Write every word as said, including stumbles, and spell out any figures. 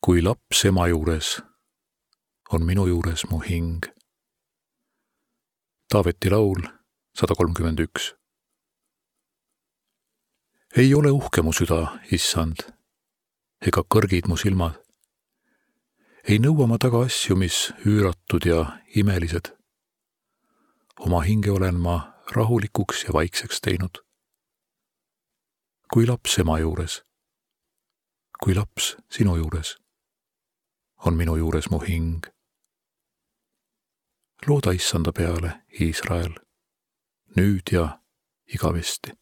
Kui laps ema juures, on minu juures mu hing. Taaveti laul sada kolmkümmend üks. Ei ole uhke mu süda, issand, ega kõrgid mu silmad. Ei nõua ma taga asju, mis üüratud ja imelised. Oma hinge olen ma rahulikuks ja vaikseks teinud. Kui laps ema juures, kui laps sinu juures, on minu juures mu hing. Looda issanda peale, Iisrael, nüüd ja igavesti.